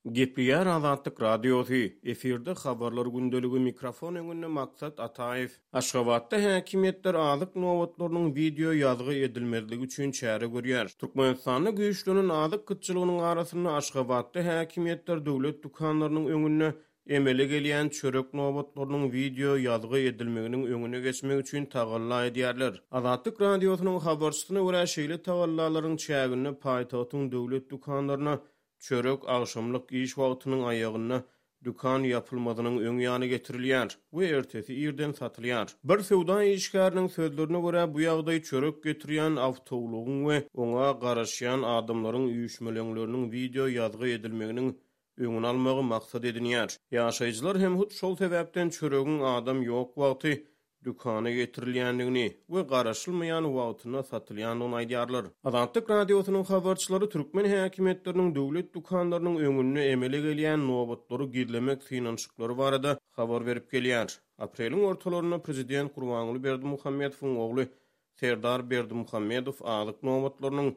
Gepleýär Azatlyk Radiosy, efirde Habarlar gündeligi, mikrofon öňünde Maksat Ataýew. Aşgabatda häkimiýetler azyk nobatlarynyň wideo ýazgy edilmezligi üçin çäre görýär. Türkmenistanda güýçlenen azyk gytçylygynyň arasynda Aşgabatda häkimiýetler döwlet dükanlarynyň öňünde emele gelýän çörek nobatlarynyň wideo ýazgy edilmeginiň öňüne geçmek üçin tagalla edýärler. Azatlyk Radiosynyň habarçysyna görä, şeýle tagallalaryň çäginde paýtagtyň döwlet dükanlaryna Çörek agşamlyk iş wagtynyň aýagynda dükan ýapylmazynyň öň ýany getirilýär we ertesi irden satylýar. Bir söwda işgäriniň sözlerine görä, bu ýagdaý çörek getirýän awtoulagyň we oňa garaşýan adamlaryň üýşmeleňleriniň wideo ýazgy edilmeginiň öňüni almagy maksat edinýär. Ýaşaýjylar hem hut şol sebäpden çöregiň adam ýok wagty dükana getirilýändigini we garaşylmaýan wagtynda satylýandygyny aýdýarlar. Azatlyk Radiosynyň habarçylary türkmen häkimiýetleriniň döwlet dükanlarynyň öňünde emele gelýän nobatlary gizlemek synanyşyklary barada habar berip gelýär. Apreliň ortalarynda prezident Gurbanguly Berdimuhamedowyň ogly Serdar Berdimuhamedow azyk nobatlarynyň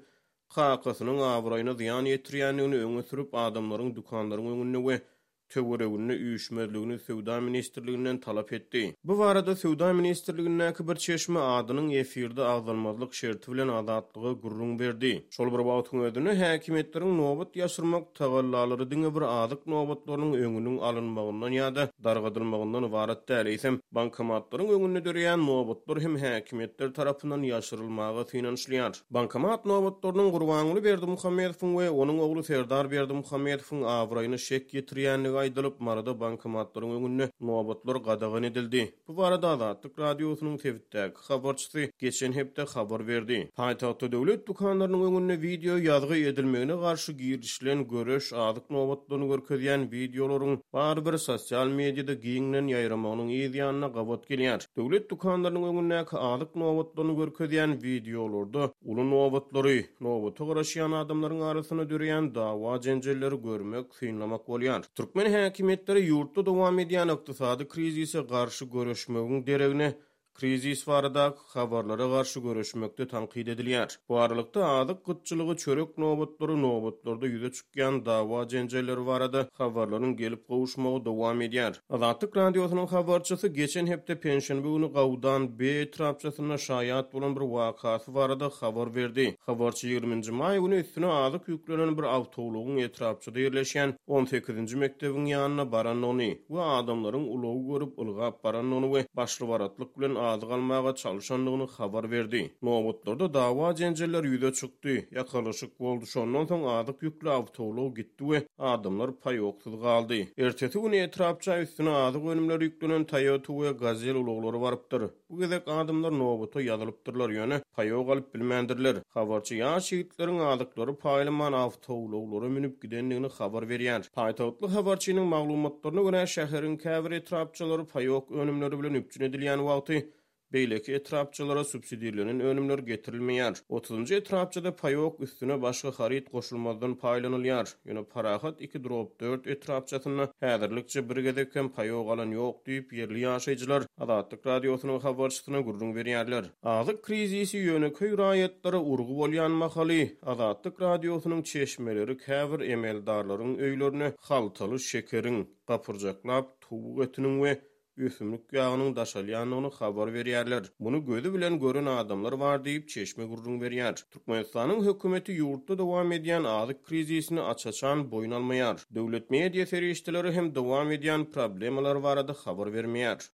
kakasynyň abraýyna zyýan ýetirýändigini öňe sürüp, adamlaryň dükanlaryň öňünde we töwereginde üýşmezligini Söwda ministrliginden talap etdi. Bu barada Söwda ministrligindäki bir çeşme adynyň efirde agzalmazlyk şerti bilen Azatlyga gürrüň berdi. Şol bir wagtyň özünde, häkimiýetleriň nobat ýaşyrmak tagallalary diňe bir azyk nobatlarynyň öňüniň alynmagyndan ýa-da dargadylmagyndan ybarat däl, eýsem, bankomatlaryň öňünde döreýän nobatlar hem häkimiýetler tarapyndan ýaşyrylmaga synanyşylýar. Bankomat nobatlarynyň Gurbanguly Berdimuhamedowyň we onuň ogly Serdar Berdimuhamedowyň abraýyna şek ýetirýändigi aýdylyp, Maryda bankomatlaryň öňünde nobatlar gadagan edildi. Bu barada Azatlyk Radiosynyň sebitdäki habarçysy geçen hepde habar berdi. Paýtagtda döwlet dükanlarynyň öňünde wideo ýazgy edilmegine garşy girişilen göreş azyk nobatlaryny görkezýän wideolaryň barybir sosial mediada giňden ýaýramagynyň yz ýanyna gabat gelýär. Döwlet dükanlarynyň öňündäki azyk nobatlaryny görkezýän wideolarda uly nobatlary, nobata garaşýan adamlaryň arasynda döreýän dawa-jenjelleri görmek, synlamak bolýar. Türkmen häkimiýetleri ýurtda dowam edýän ykdysady krizise garşy göreşmegiň deregine, krizis baradaky habarlara garşy göreşmekde tankyt edilýär. Bu aralykda, azyk gytçylygy, çörek nobatlary, nobatlarda ýüze çykýan dawa-jenjeller barada habarlaryň gelip gowuşmagy dowam edýär. Azatlyk Radiosynyň habarçysy geçen hepde penşenbe güni Gawdan B etrapçasynda şaýat bolan bir wakasy barada habar berdi. Habarçy ýigriminji maý güni üstüne azyk ýüklenen bir awtoulagyň etrapçada ýerleşýän on sekizinji mekdebiň ýanyna barandygyny we adamlaryň ulagy görüp ylgap barandygyny we başly-baratlyk bilen azyk almaga çalşandygyny habar berdi. Nobatlarda dawa-jenjeller ýüze çykdy, ýakalaşyk boldy, şondan soň azyk ýükli awtoulag gitdi we adamlar paýoksyz galdy. Ertesi güni etrapça üstüne azyk önümleri ýüklenen Toyota we Gazel ulaglary barypdyr. Bu gezek adamlar nobata ýazylypdyrlar, ýöne paýok alyp bilmändirler. Habarçy ýaş ýigitleriň azyklary paýlaman awtoulaglara münüp gidendigini habar berýär. Paýtagtly habarçynyň maglumatlaryna görä, şäheriň käbir etrapçalary paýok önümleri bilen üpjün edilýän wagty, beýleki etrapçalara subsidirlenen önümler getirilmeýär. Otuzynjy etrapçada paýok üstüne başga haryt goşulmazdan paýlanylýar. Ýöne Parahat iki drop dört etrapçasynda häzirlikçe bir gezek hem paýok alan ýok diýip, ýerli ýaşaýjylar Azatlyk Radiosynyň habarçysyna gürrüň berýärler. Azyk krizisi ýönekeý raýatlara urgy bolýan mahaly, Azatlyk Radiosynyň çeşmeleri käbir emeldarlaryň öýlerine haltaly şekeriň, gapyrjaklap towuk etiniň we ösümlik ýagynyň daşalýandygyny habar berýärler. Muny gözi bilen gören adamlar bar diýip, çeşme gürrüň berýär. Türkmenistanyň hökümeti ýurtda dowam edýän azyk krizisini aç-açan boýun almaýar. Döwlet media serişdeleri hem dowam edýän problemalar barada habar bermeýär.